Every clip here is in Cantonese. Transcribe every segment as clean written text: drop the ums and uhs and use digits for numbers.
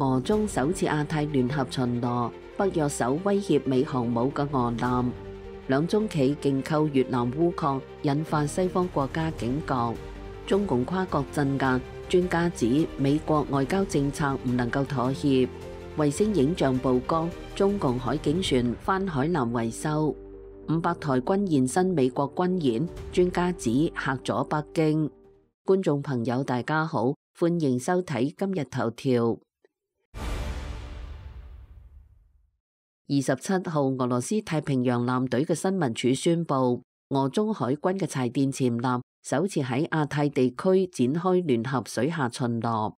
俄中首次亞太聯合巡邏，北約首威脅美航母嘅俄艦，兩中企競購越南鎢礦，引發西方國家警覺。中共跨國鎮壓，專家指美國外交政策唔能夠妥協。衛星影像曝光，中共海警船翻海南維修。500台軍現身美國軍演，專家指嚇咗北京。觀眾朋友大家好，歡迎收睇今日頭條。27號，俄羅斯太平洋艦隊嘅新聞處宣布，俄中海軍嘅柴電潛艦首次喺亞太地區展開聯合水下巡邏。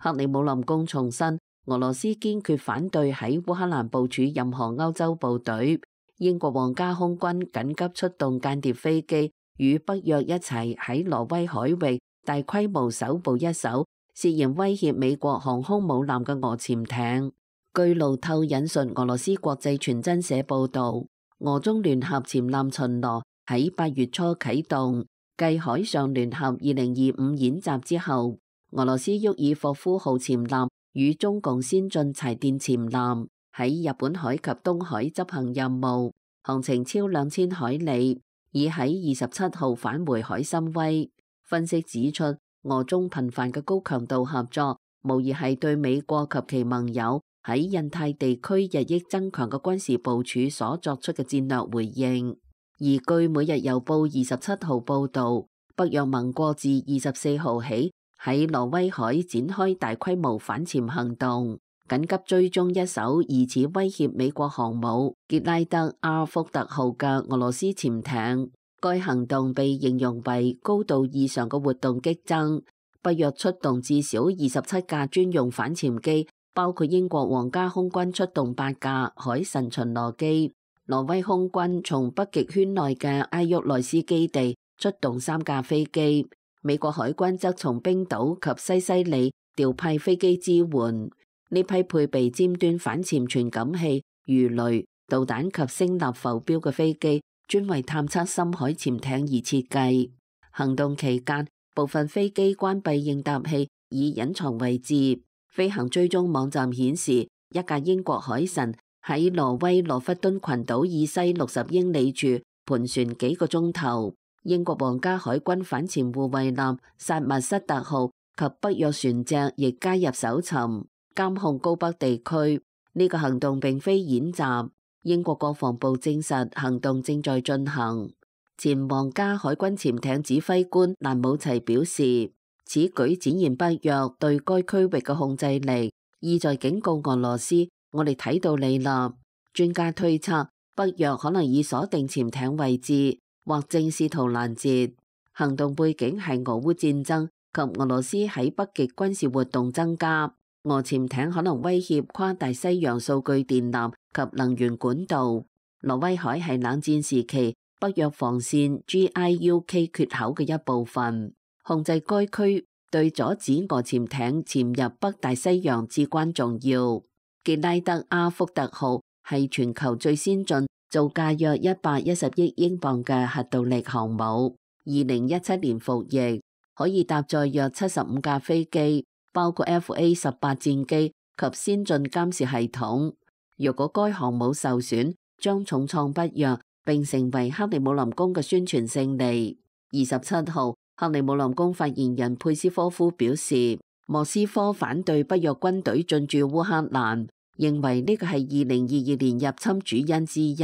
克里姆林宮重申，俄羅斯堅決反對喺烏克蘭部署任何歐洲部隊。英國皇家空軍緊急出動間諜飛機，與北約一齊喺挪威海域大規模搜捕一艘涉嫌威脅美國航空母艦嘅俄潛艇。據路透引述俄羅斯國際傳真社報道，俄中聯合潛艦巡邏喺8月初啟動，繼海上聯合2025演習之後，俄羅斯沃爾霍夫號潛艦與中共先進柴電潛艦喺日本海及東海執行任務，航程超2000海里，已喺27號返回海參崴。分析指出，俄中頻繁嘅高強度合作，無疑係對美國及其盟友喺印太地區日益增強嘅軍事部署所作出嘅戰略回應。而據每日郵報27號報導，北約盟國自24號起喺挪威海展開大規模反潛行動，緊急追蹤一艘疑似威脅美國航母傑拉德 R 福特號嘅俄羅斯潛艇。該行動被形容為高度異常嘅活動激增，北約出動至少27架專用反潛機，包括英國皇家空軍出動8架海神巡邏機，挪威空軍從北極圈內嘅埃沃內斯基地出動3架飛機，美國海軍則從冰島及西西里調派飛機支援。呢批配備尖端反潛傳感器、魚雷、導彈及聲納浮標嘅飛機，專為探測深海潛艇而設計。行動期間，部分飛機關閉應答器以隱藏位置。飛行追蹤網站顯示，一架英國海神喺挪威羅弗敦群島以西60英里處盤旋幾個鐘頭。英國皇家海軍反潛護衛艦薩默塞特號及北約船隻亦加入搜尋監控高北地區。呢個行動並非演習。英國國防部證實行動正在進行。前皇家海軍潛艇指揮官蘭姆齊表示，此舉展現北約對該區域嘅控制力，意在警告俄羅斯，我哋睇到你啦。專家推測，北約可能已鎖定潛艇位置，或正試圖攔截。行動背景係俄烏戰爭及俄羅斯喺北極軍事活動增加。俄潛艇可能威脅跨大西洋數據電纜及能源管道。挪威海係冷戰時期北約防線 GIUK 缺口嘅一部分，控制該區對阻止俄潛艇潛入北大西洋至關重要。傑拉德 R 福特號係全球最先進，造價約110億英鎊嘅核動力航母，2017年服役，可以搭載約75架飛機，包括 FA-18 戰機及先進監視系統。若果該航母受損，將重創北約，並成為克里姆林宮嘅宣傳勝利。27號，克里姆林宮發言人佩斯科夫表示，莫斯科反對北約軍隊進駐烏克蘭，認為呢個係2022年入侵主因之一，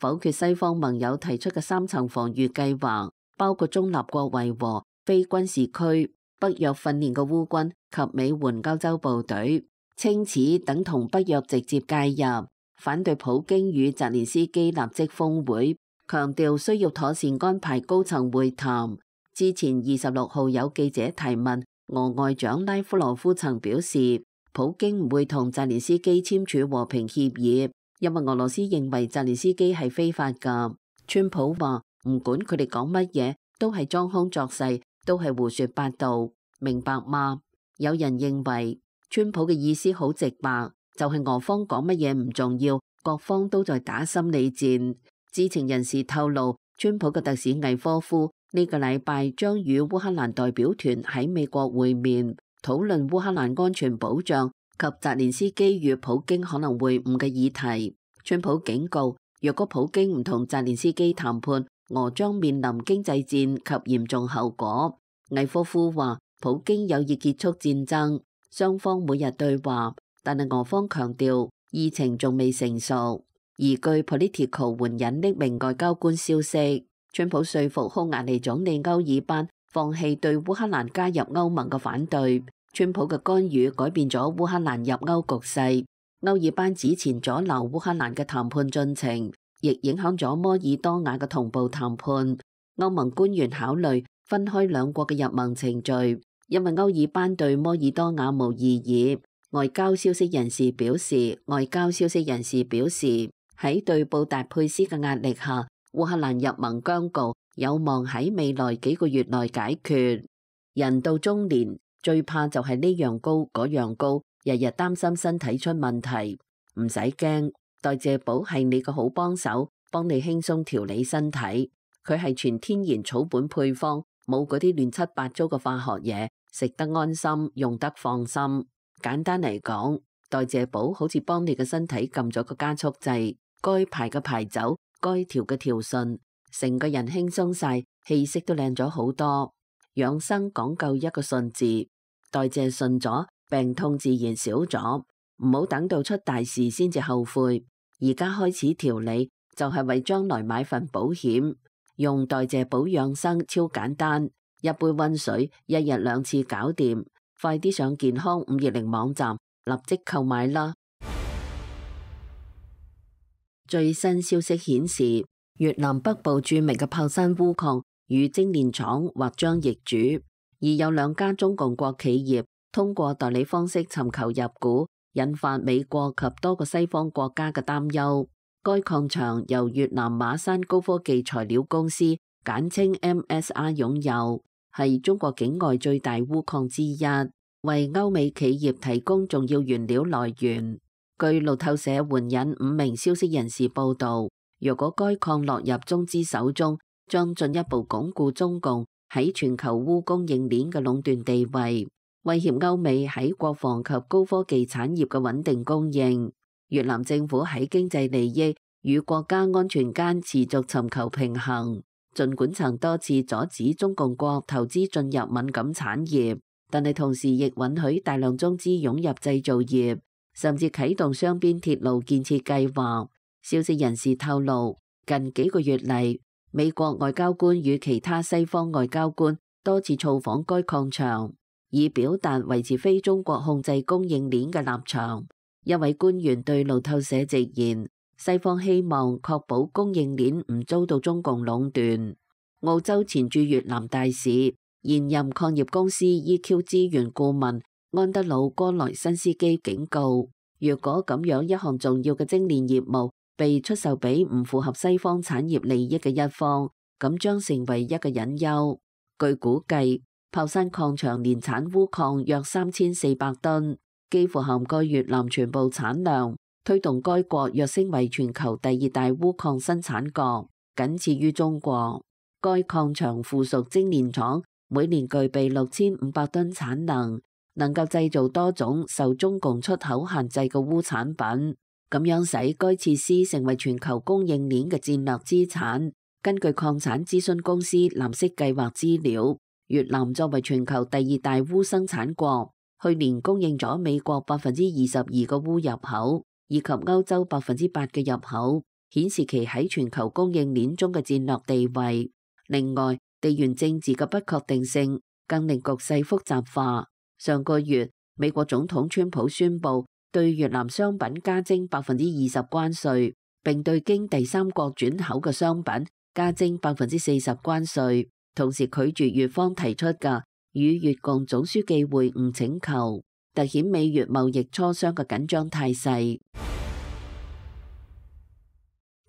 否決西方盟友提出嘅3層防禦計劃，包括中立國維和、非軍事區、北約訓練嘅烏軍及美援歐洲部隊，稱此等同北約直接介入，反對普京與澤連斯基立即峰會，強調需要妥善安排高層會談。之前26號有記者提問，俄外長拉夫羅夫曾表示，普京唔會同澤連斯基簽署和平協議，因為俄羅斯認為澤連斯基係非法㗎。川普話唔管佢哋講乜嘢，都係裝腔作勢，都係胡說八道，明白嗎？有人認為川普嘅意思好直白，就係俄方講乜嘢唔重要，各方都在打心理戰。知情人士透露，川普嘅特使魏科夫呢個禮拜將與烏克蘭代表團喺美國會面，討論烏克蘭安全保障及澤連斯基與普京可能會晤嘅議題。川普警告，若果普京唔同澤連斯基談判，俄將面臨經濟戰及嚴重後果。魏科夫話，普京有意結束戰爭，雙方每日對話，但係俄方強調議程仲未成熟。而據 Politico 援引匿名外交官消息，川普說服匈牙利總理歐爾班放棄對烏克蘭加入歐盟嘅反對。川普嘅干預改變咗烏克蘭入歐局勢。歐爾班之前阻撓烏克蘭嘅談判進程，亦影響咗摩爾多瓦嘅同步談判。歐盟官員考慮分開兩國嘅入盟程序，因為歐爾班對摩爾多瓦無異議。外交消息人士表示，喺對布達佩斯嘅壓力下，烏克蘭入盟僵局有望喺未來幾個月內解決。人到中年最怕就係呢樣高嗰樣高，日日擔心身體出問題。唔使驚，代謝寶係你個好幫手，幫你輕鬆調理身體。佢係全天然草本配方，冇嗰啲亂七八糟嘅化學嘢，食得安心，用得放心。簡單嚟講，代謝寶好似幫你嘅身體撳咗個加速掣。該排嘅排走，該調嘅調順，成個人輕鬆晒，氣色都靚咗好多。養生講究一個順字，代謝順咗，病痛自然少咗。唔好等到出大事先至後悔，而家開始調理就係為將來買份保險。用代謝寶養生超簡單，一杯溫水，一日2次搞掂。快啲上健康520網站立即購買啦！最新消息顯示，越南北部著名嘅炮山鎢礦與精煉廠或將易主，而有2家中共國企業通過代理方式尋求入股，引發美國及多個西方國家嘅擔憂。該礦場由越南馬山高科技材料公司簡稱 MSR 擁有，係中國境外最大鎢礦之一，為歐美企業提供重要原料來源。據路透社援引5名消息人士報道，若果該礦落入中資手中，將進一步鞏固中共喺全球鎢供應鏈嘅壟斷地位，威脅歐美喺國防及高科技產業嘅穩定供應。越南政府喺經濟利益與國家安全間持續尋求平衡，儘管曾多次阻止中共國投資進入敏感產業，但係同時亦允許大量中資湧入製造業，甚至啟動雙邊鐵路建設計劃。消息人士透露，近幾個月嚟，美國外交官與其他西方外交官多次造訪該礦場，以表達維持非中國控制供應鏈嘅立場。一位官員對路透社直言，西方希望確保供應鏈唔遭到中共壟斷。澳洲前駐越南大使、現任礦業公司 EQ 資源顧問安德魯·戈萊辛斯基警告，若果咁樣一項重要嘅精煉業務被出售俾唔符合西方產業利益嘅一方，咁將成為一個隱憂。據估計，炮山礦場年產鎢礦約3400噸，幾乎涵蓋越南全部產量，推動該國躍升為全球第2大鎢礦生產國，僅次於中國。該礦場附屬精煉廠每年具備6500噸產能，能夠製造多種受中共出口限制嘅鎢產品，咁樣使該設施成為全球供應鏈嘅戰略資產。根據礦產諮詢公司藍色計劃資料，越南作為全球第2大鎢生產國，去年供應咗美國22%嘅鎢入口，以及歐洲8%嘅入口，顯示其喺全球供應鏈中嘅戰略地位。另外，地緣政治嘅不確定性更令局勢複雜化。上個月，美國總統川普宣布對越南商品加徵20%關稅，並對經第三國轉口嘅商品加徵40%關稅，同時拒絕越方提出嘅與越共總書記會晤請求，凸顯美越貿易磋商嘅緊張態勢。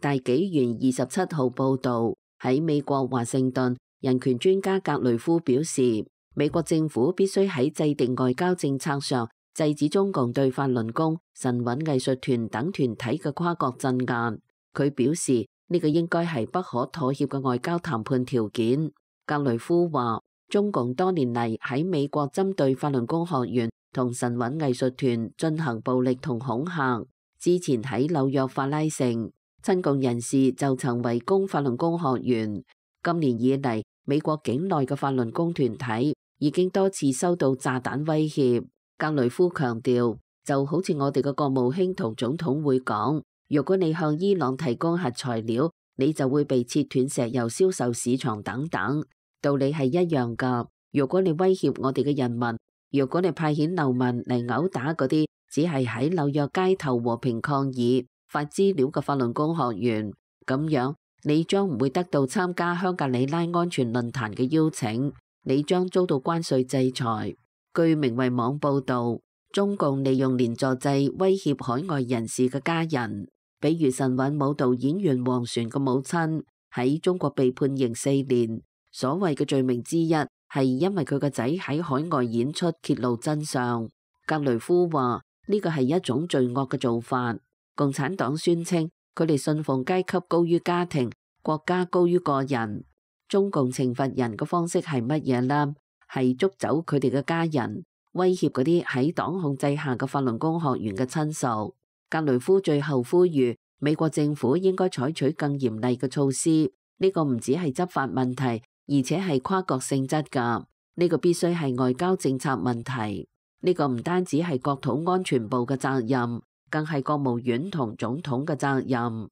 大紀元27號報導，喺美國華盛頓，人權專家格雷夫表示，美國政府必須喺制定外交政策上制止中共對法輪功、神韻藝術團等團體嘅跨國鎮壓。佢表示，呢個應該係不可妥協嘅外交談判條件。格雷夫話，中共多年嚟喺美國針對法輪功學員同神韻藝術團進行暴力同恐嚇。之前喺紐約法拉盛，親共人士就曾圍攻法輪功學員。今年以嚟，美國境內嘅法輪功團體已經多次收到炸彈威脅。格雷夫強調，就好似我哋嘅國務卿同總統會講，如果你向伊朗提供核材料，你就會被切斷石油銷售市場等等，道理係一樣㗎。如果你威脅我哋嘅人民，如果你派遣流民嚟毆打嗰啲只係喺紐約街頭和平抗議、發資料嘅法輪功學員，咁樣你將唔會得到參加香格里拉安全論壇嘅邀請，你將遭到關稅制裁。據明慧網報導，中共利用連坐制威脅海外人士嘅家人，比如神韻舞蹈演員王璇嘅母親喺中國被判刑4年，所謂嘅罪名之一係因為佢個仔喺海外演出揭露真相。格雷夫話呢個係一種罪惡嘅做法。共產黨宣稱佢哋信奉階級高於家庭，國家高於個人。中共懲罰人嘅方式係乜嘢呢？係捉走佢哋嘅家人，威脅嗰啲喺黨控制下嘅法輪功學員嘅親屬。格雷夫最後呼籲美國政府應該採取更嚴厲嘅措施。呢個唔只係執法問題，而且係跨國性質㗎。呢個必須係外交政策問題。呢個唔單止係國土安全部嘅責任，更係國務院同總統嘅責任。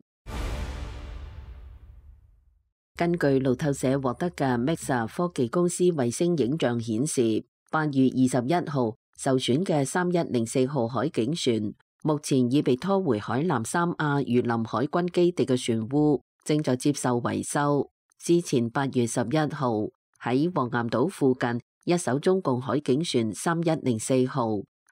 根據路透社獲得嘅 Maxar 科技公司衛星影像顯示，8月21號受損嘅3104號海警船，目前已被拖回海南三亞榆林海軍基地嘅船塢，正在接受維修。之前8月11號喺黃岩島附近，一艘中共海警船3104號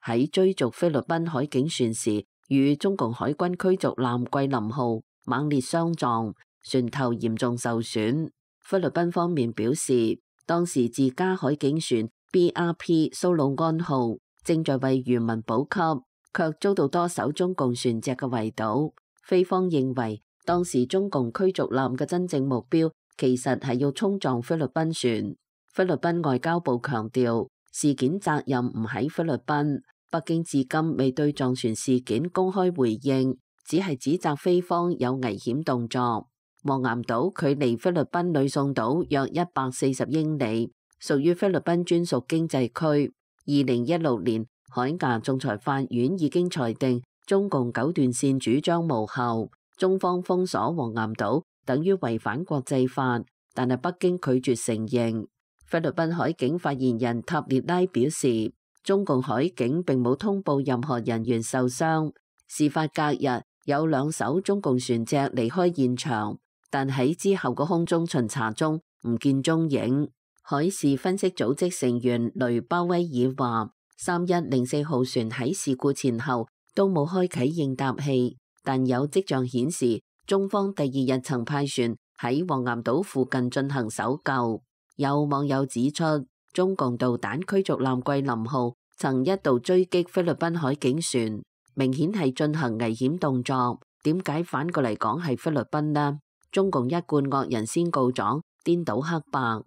喺追逐菲律賓海警船時，與中共海軍驅逐艦桂林號猛烈相撞，船頭嚴重受損。菲律賓方面表示，當時自家海警船 BRP 蘇魯安號正在為漁民補給，卻遭到多艘中共船隻嘅圍堵。菲方認為，當時中共驅逐艦嘅真正目標其實係要衝撞菲律賓船。菲律賓外交部強調，事件責任唔喺菲律賓，北京至今未對撞船事件公開回應，只係指責菲方有危險動作。黃岩島距離菲律賓呂宋島約140英里，屬於菲律賓專屬經濟區。2016年，海牙仲裁法院已經裁定中共九段線主張無效，中方封鎖黃岩島等於違反國際法，但係北京拒絕承認。菲律賓海警發言人塔列拉表示，中共海警並冇通報任何人員受傷。事發隔日，有2艘中共船隻離開現場，但喺之後嘅空中巡查中唔見蹤影。海事分析組織成員雷巴威爾話，3104號船喺事故前後都冇開啟應答器，但有跡象顯示中方第2日曾派船喺黃岩島附近進行搜救。有網友指出，中共導彈驅逐艦桂林號曾一度追擊菲律賓海警船，明顯係進行危險動作。點解反過嚟講係菲律賓呢？中共一貫惡人先告狀，顛倒黑白。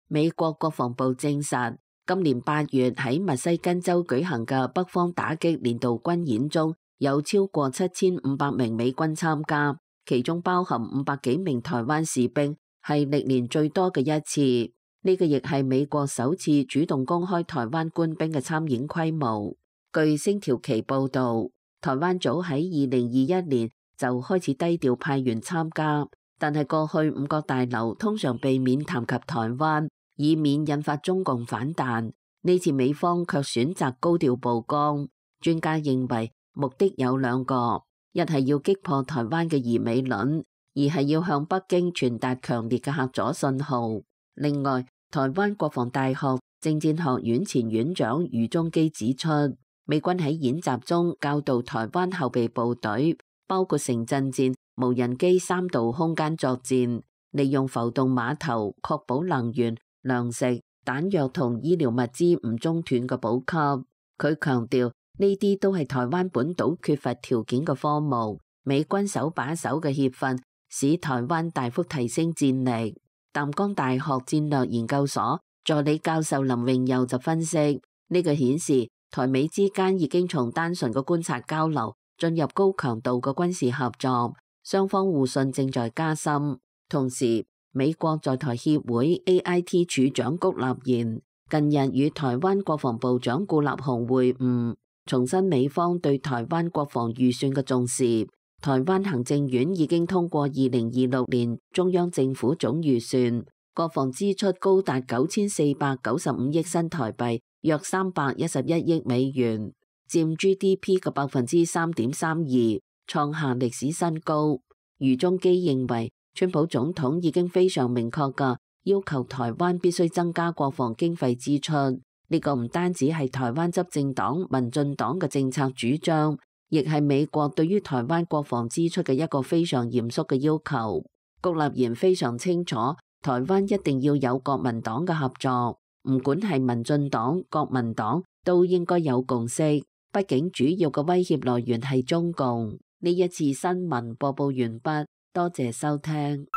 美國國防部證實，今年8月喺密西根州舉行嘅北方打擊年度軍演中，有超過7500名美軍參加，其中包含500幾名台灣士兵，係歷年最多嘅一次。呢個亦係美國首次主動公開台灣官兵嘅參演規模。據星條旗報導，台灣早喺2021年就開始低調派員參加，但係過去五角大樓通常避免談及台灣，以免引發中共反彈。呢次美方卻選擇高調曝光。專家認為目的有2個，一係要擊破台灣嘅疑美論，二係要向北京傳達強烈嘅嚇阻信號。另外，台灣國防大學政戰學院前院長余宗基指出，美軍喺演習中教導台灣後備部隊，包括城鎮戰、無人機3度空間作戰，利用浮動碼頭確保能源、糧食、彈藥同醫療物資唔中斷嘅補給。佢強調，呢啲都係台灣本島缺乏條件嘅科目，美軍手把手嘅協訓，使台灣大幅提升戰力。淡江大學戰略研究所助理教授林榮佑就分析，呢個顯示台美之間已經從單純嘅觀察交流進入高強度嘅軍事合作，雙方互信正在加深。同時，美國在台協會 AIT 處長谷立言近日與台灣國防部長顧立雄會晤，重申美方對台灣國防預算嘅重視。台灣行政院已經通過2026年中央政府總預算，國防支出高達9495億新台幣，約311億美元，佔 GDP 嘅3.32%，創下歷史新高。余中基認為，川普總統已經非常明確嘅要求台灣必須增加國防經費支出，呢個唔單止係台灣執政黨民進黨嘅政策主張，亦係美國對於台灣國防支出嘅一個非常嚴肅嘅要求。谷立言非常清楚，台灣一定要有國民黨嘅合作，唔管係民進黨、國民黨都應該有共識。畢竟主要嘅威脅來源係中共。呢一次新聞播報完畢，多謝收聽。